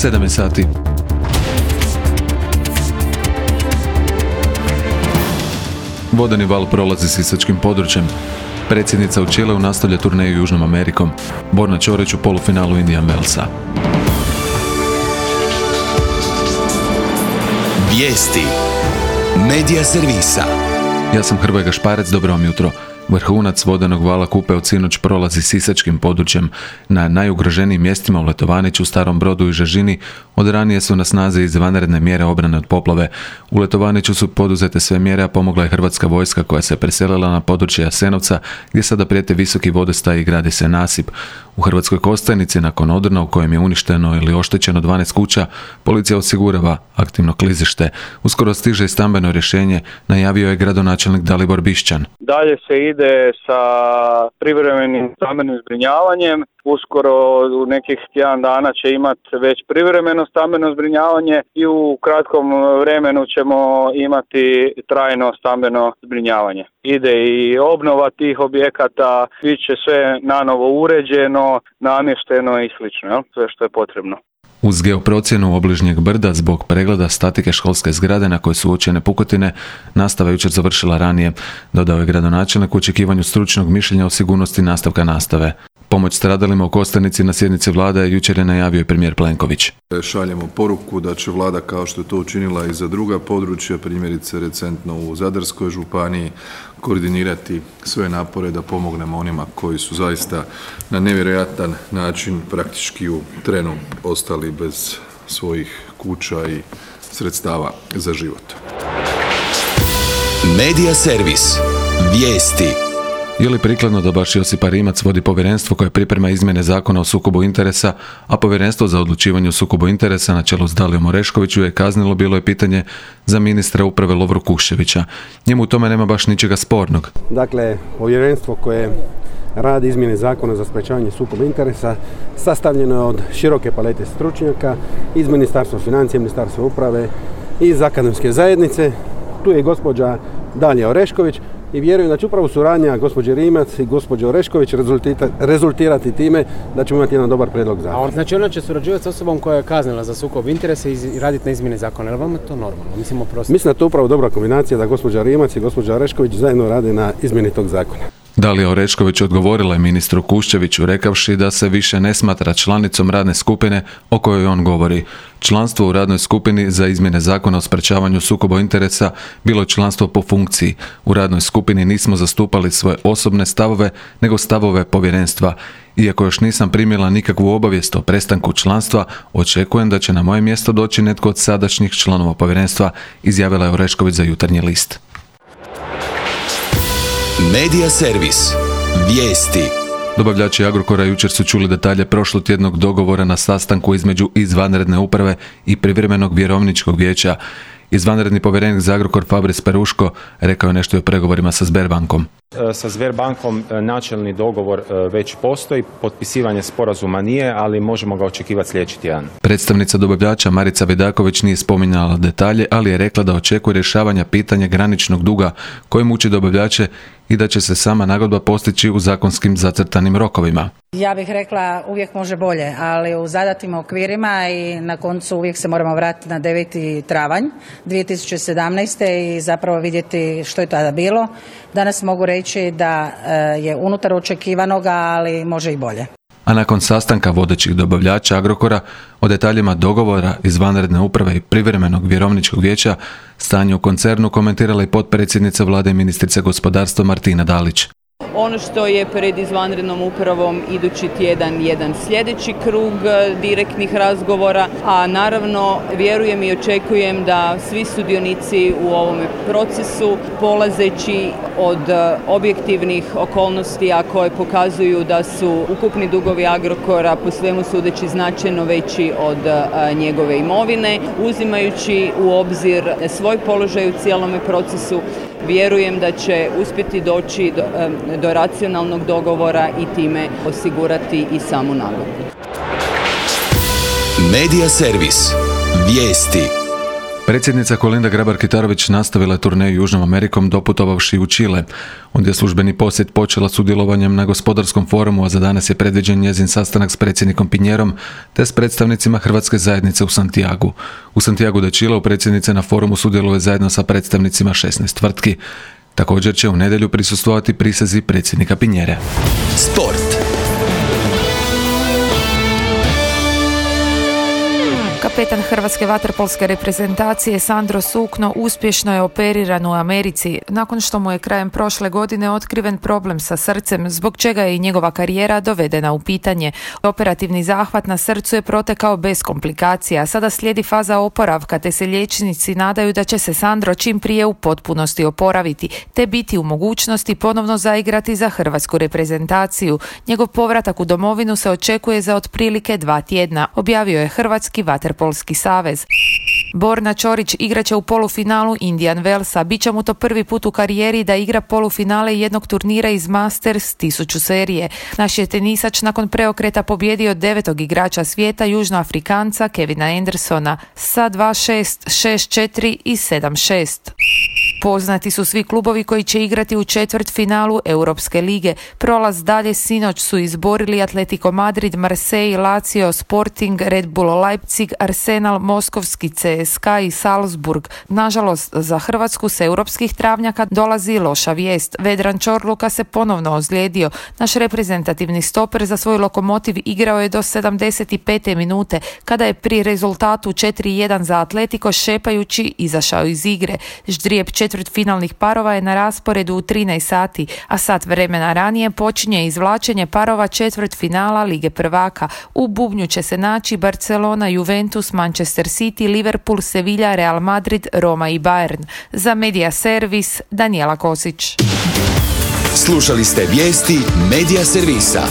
7 sati. Vodeni val prolazi sisačkim područjem. Predsjednica u Čileu nastavlja turneju Južnom Amerikom. Borna Ćorić u polufinalu Indian Wellsa. Vijesti Medija servisa. Ja sam Hrvoje Gašparec, dobro vam jutro. Vrhunac vodenog vala Kupe od sinoć prolazi sisačkim područjem. Na najugroženijim mjestima u Letovaniću, Starom Brodu i Žežini od ranije su na snazi izvanredne mjere obrane od poplave. U Letovaniću su poduzete sve mjere, a pomogla je Hrvatska vojska koja se preselila na područje Jasenovca, gdje sada prijete visoki vodostaj i gradi se nasip. U Hrvatskoj Kostajnici, nakon odrna u kojem je uništeno ili oštećeno 12 kuća, policija osigurava aktivno klizište. Uskoro stiže i stambeno rješenje, najavio je gradonačelnik Dalibor Bišćan. Dalje se ide sa privremenim stambenim zbrinjavanjem. Uskoro u nekih tjedan dana će imati već privremeno stambeno zbrinjavanje i u kratkom vremenu ćemo imati trajno stambeno zbrinjavanje. Ide i obnova tih objekata, bit će sve nanovo uređeno, namješteno i slično, sve što je potrebno. Uz geoprocjenu obližnjeg brda zbog pregleda statike školske zgrade na kojoj su uočene pukotine, nastava jučer završila ranije, dodao je gradonačelnik u očekivanju stručnog mišljenja o sigurnosti nastavka nastave. Pomoć stradalima u Kostajnici na sjednici vlade jučer je najavio i premijer Plenković. Šaljemo poruku da će vlada, kao što je to učinila i za druga područja, primjerice recentno u Zadarskoj županiji, koordinirati sve napore da pomognemo onima koji su zaista na nevjerojatan način praktički u trenu ostali bez svojih kuća i sredstava za život. Medija servis. Vijesti. Je li prikladno da baš Josipa Rimac vodi povjerenstvo koje priprema izmjene zakona o sukobu interesa, a povjerenstvo za odlučivanje o sukobu interesa na čelu s Dalijom Oreškoviću je kaznilo, bilo je pitanje za ministra uprave Lovru Kuščevića. Njemu u tome nema baš ničega spornog. Dakle, povjerenstvo koje radi izmjene zakona za sprečavanje sukoba interesa sastavljeno je od široke palete stručnjaka iz Ministarstva financija, Ministarstva uprave i iz akademske zajednice. Tu je gospođa Dalija Orešković i vjerujem da će upravo suradnja gospođe Rimac i gospođe Orešković rezultirati time da ćemo imati jedan dobar prijedlog zakona. Znači ona će surađivati s osobom koja je kaznila za sukob interesa i raditi na izmjeni zakona. Je li vama to normalno? Mislim da je to upravo dobra kombinacija da gospođa Rimac i gospođa Orešković zajedno rade na izmjeni tog zakona. Dalija Orešković odgovorila je ministru Kuščeviću rekavši da se više ne smatra članicom radne skupine o kojoj on govori. Članstvo u radnoj skupini za izmjene zakona o sprečavanju sukoba interesa bilo je članstvo po funkciji. U radnoj skupini nismo zastupali svoje osobne stavove, nego stavove povjerenstva. Iako još nisam primila nikakvu obavijest o prestanku članstva, očekujem da će na moje mjesto doći netko od sadašnjih članova povjerenstva, izjavila je Orešković za Jutarnji list. Medija servis. Vijesti. Dobavljači Agrokora jučer su čuli detalje prošlotjednog dogovora na sastanku između izvanredne uprave i privremenog vjerovničkog vijeća. Izvanredni povjerenik za Agrokor Fabrice Peruško rekao je nešto o pregovorima sa Sberbankom. Sa Sberbankom načelni dogovor već postoji, potpisivanje sporazuma nije, ali možemo ga očekivati sljedeći tjedan. Predstavnica dobavljača Marica Vidaković nije spominjala detalje, ali je rekla da očekuje rješavanja pitanja graničnog duga koji muči dobavljače i da će se sama nagodba postići u zakonskim zacrtanim rokovima. Ja bih rekla uvijek može bolje, ali u zadatim okvirima i na koncu uvijek se moramo vratiti na 9. travanj 2017. i zapravo vidjeti što je tada bilo. Danas mogu reći da je unutar očekivanoga, ali može i bolje. A nakon sastanka vodećih dobavljača Agrokora o detaljima dogovora izvanredne uprave i privremenog vjerovničkog vijeća, stanje u koncernu komentirala i potpredsjednica vlade i ministrica gospodarstva Martina Dalić. Ono što je pred izvanrednom upravom idući tjedan jedan sljedeći krug direktnih razgovora, a naravno vjerujem i očekujem da svi sudionici u ovom procesu, polazeći od objektivnih okolnosti, a koje pokazuju da su ukupni dugovi Agrokora po svemu sudeći značajno veći od njegove imovine, uzimajući u obzir svoj položaj u cijelome procesu, vjerujem da će uspjeti doći do racionalnog dogovora i time osigurati i samu nagodbu. Medija servis. Vijesti. Predsjednica Kolinda Grabar-Kitarović nastavila je turneju Južnom Amerikom doputovavši u Čile. Ondje je službeni posjet počela sudjelovanjem na gospodarskom forumu, a za danas je predviđen njezin sastanak s predsjednikom Pinjerom te s predstavnicima Hrvatske zajednice u Santiagu. U Santiagu de Chileu predsjednica na forumu sudjeluje zajedno sa predstavnicima 16 tvrtki. Također će u nedjelju prisustvovati prisezi predsjednika Pinjere. Sport. Kapetan hrvatske vaterpolske reprezentacije Sandro Sukno uspješno je operiran u Americi nakon što mu je krajem prošle godine otkriven problem sa srcem, zbog čega je i njegova karijera dovedena u pitanje. Operativni zahvat na srcu je protekao bez komplikacija. Sada slijedi faza oporavka, te se liječnici nadaju da će se Sandro čim prije u potpunosti oporaviti, te biti u mogućnosti ponovno zaigrati za hrvatsku reprezentaciju. Njegov povratak u domovinu se očekuje za otprilike 2 tjedna, objavio je Hrvatski vaterpolski savez. Borna Ćorić igraće u polufinalu Indian Wellsa. Biće mu to prvi put u karijeri da igra polufinale jednog turnira iz Masters 1000 serije. Naš je tenisač nakon preokreta pobjedio 9. igrača svijeta, Južnoafrikanca Kevina Andersona sa 2-6, 6-4 i 7-6. Poznati su svi klubovi koji će igrati u četvrtfinalu Europske lige. Prolaz dalje sinoć su izborili Atletico Madrid, Marseille, Lazio, Sporting, Red Bull Leipzig, Arsenal, Moskovski CSKA i Salzburg. Nažalost, za Hrvatsku s europskih travnjaka dolazi loša vijest. Vedran Čorluka se ponovno ozlijedio. Naš reprezentativni stoper za svoj Lokomotiv igrao je do 75. minute, kada je pri rezultatu 4-1 za Atletico šepajući izašao iz igre. Ždrijeb četvrtfinalnih parova je na rasporedu u 13 sati, a sat vremena ranije počinje izvlačenje parova četvrtfinala Lige prvaka. U bubnju će se naći Barcelona, Juventus, Manchester City, Liverpool, Sevilla, Real Madrid, Roma i Bayern. Za Media Servis, Danijela Kosić. Slušali ste vijesti Media Servisa.